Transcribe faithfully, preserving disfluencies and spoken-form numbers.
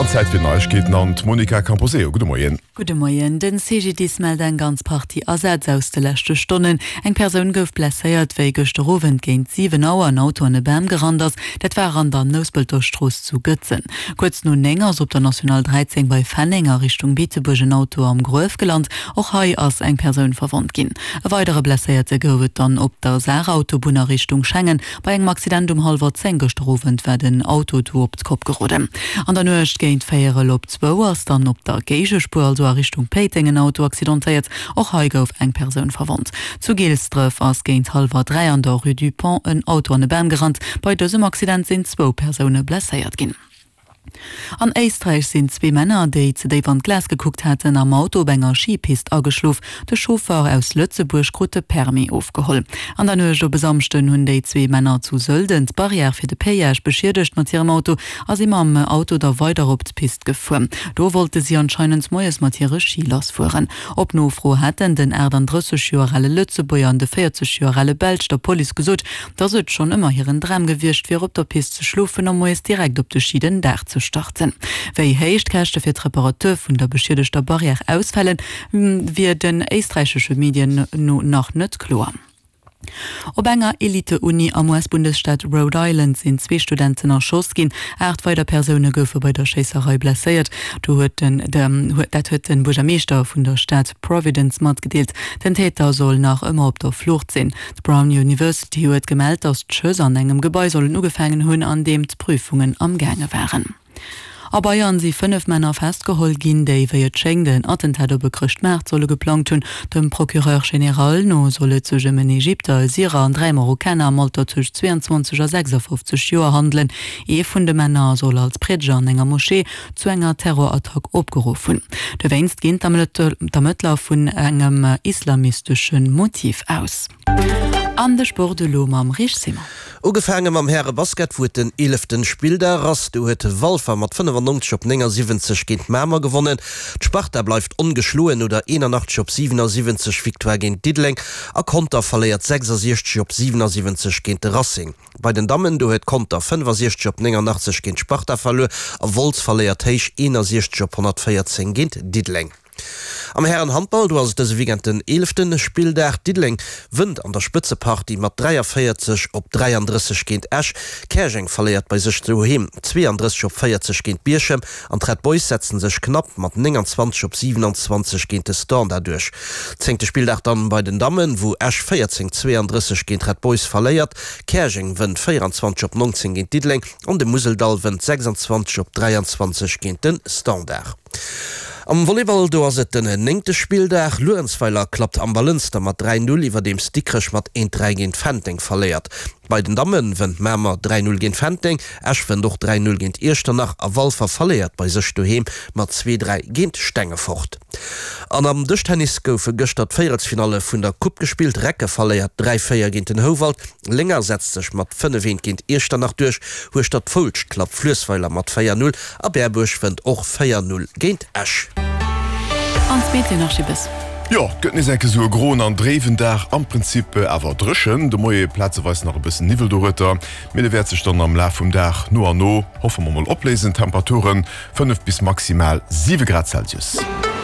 An Zäit fir Neiegkeeten an d'Monica Camposeo. Gudde Moien. Gudde Moien. Den CGDIS mellt eng ganz Partie Asätz aus de leschte Stonnen. Eng Persoun gouf blesséiert, wéi gëschter Owend géint siwen Auer en Auto an e Bam gerannt ass. Dat war an der Nouspelter Strooss zu Gëtzen. Kuerz no néng ass op der National dräizéng bei Fenneng a Richtung Beetebuerg en Auto am Gruef gelant. Och hei ass eng Persoun verwonnt ginn. E weidere Blesséierte gouf et dann op der Saarautobunn a Richtung Schengen. Bei engem Accident um hallwer zéng gëschter Owend war den Auto do op d'Kopp geroden. An der Nuecht géint véierel op zwou ass dann op der Géigespuer, also a Richtung Péiteng, en Auto accidentéiert. Och hei gouf eng Persoun verwonnt. Zu Gilsdref ass géint hallwer dräi an der Rue du Pont en Auto an e Bam gerannt. Bei dësem Accident sinn zwou Persoune blesséiert ginn. An Éisträich sinn zwee Männer, déi ze déif an d'Glas gekuckt haten, am Auto op enger Schipist ageschlof. De Chauffer aus Lëtzebuerg krut de Permis ofgeholl. An der Nuecht op e Samschden hunn déi zwee Männer zu Sölden d'Barrière fir de Péage beschiedegt mat hirem Auto a si mam Auto da weider op d'Pist gefuer. Do wollte si anscheinend moies mat hire Schi lassfueren. Op Nofro hätten den achtandrësseg Joer ale Lëtzebuerger an de véierzeg Joer ale Belsch der Police gesot, dass et schonn ëmmer hiren Dram gewiescht wier, op der Pist ze schlofen a moies direkt op de Schi den Dag ze starten. Wéi héich d'Käschte fir d'Reparatur vun der beschiedegter Barrière ausfalen, wier den éisträichesche Medien no nach net kloer. Op enger Elite-Uni am U S-Bundesstaat Rhode Island sinn zwee Studenten erschoss ginn. Aacht weider Persoune goufe bei der Schéisserei blesséiert. Do huet den dat huet de Buergermeeschter vun der Stad Providence matgedeelt. Den Täter soll nach ëmmer op der Flucht sinn. D'Brown University huet gemellt, datt d'Schëss an engem Gebai sollen ugefaangen hunn, an deem d'Prüfungen am gaange waren. A Bayern si fënnef Männer festgeholl ginn, déi, wéi et schéngt, en Attentat op e Chrëschtmaart solle geplangt hunn. Dem Procureur général no soll et sech ëm en Ägypter, e Syrer an dräi Marokkaner am Alter tëscht zweeanzwanzeg a sechsafofzeg Joer handelen. Ee vun de Männer soll als Priedeger an enger Moschee zu enger Terrorattack opgeruff hunn. Dowéinst ginn d'Ermëttler vun engem islamistesche Motiv aus. An de Sport elo mam Rich Simon. Ugefaange mam Häre-Basket, wou et den eeleften Spilldag ass. Do huet Walfer mat fënnefannonzeg op néngasiwwenzeg géint Mamer gewonnen. D'Sparta bleift ongeschloen no der eenanachtzeg op siwenasiwwenzeg Victoire géint Diddeleng a Conter verléiert sechsasiechzeg op siwenasiwwenzeg géint de Racing. Bei den Dammen, do huet Conter fënnefasiechzeg op néngannachtzeg géint d'Sparta verluer a Wolz verléiert héich eenasiechzeg op honnertvéierzéng géint Diddeleng. Am Hären-Handball, do ass et dëse Weekend den eelefte Spilldag. Diddeleng wënnt an der Spëtzepartie mat dräiavéierzeg op dräiandrësseg géint Esch. Käerjeng verléiert bei sech doheem zweeandrësseg op véierzeg géint Bierchem an d'Red Boys setzen sech knapp mat nénganzwanzeg op siwenanzwanzeg géint de Standard duerch. Zéngte Spilldag dann bei den Dammen, wou Esch véierzéng zweeandrësseg géint d'Red Boys verléiert. Käerjeng wënnt véieranzwanzeg op nonzéng géint Diddeleng an de Museldall wënnt sechsanzwanzeg op dräianzwanzeg géint de Standard. Am Volleyball, do ass et den néngte Spilldag. Luerenzweiler klappt Amber-Lënster mat dräi Null, iwwerdeems Dikrech mat eent dräi géint Fenteng verléiert. Bei den Damme wënnt Mamer dräi Null géint Fenteng, Esch wënnt och dräi Null géint Iechternach a Walfer verléiert bei sech doheem mat zwee dräi géint Stengefort. An am Dëschtennis goufe gëschter d'Véierelsfinalle vun der Coupe gespillt. Recke verléiert dräi véier géint den Houwald, Lénger setzt sech mat fënnef eent géint Iechternach duerch, Hueschtert-Foulscht klappt Fluessweiler mat véier Null a Berbuerg wënnt och véier Null géint Esch. An d'Meteor nach Schibbes. Jo, et gëtt nees enke sou e groen an dréiwen Dag, am Prinzip awer dréchen. De Moie plazeweis nach e bëssen Niwwel dorueter, mee de wäert sech dann am Laf vum Dag no an no, hoffe mer mol, opléisen. Temperaturen, fënnef bis maximal siwe Grad Celsius.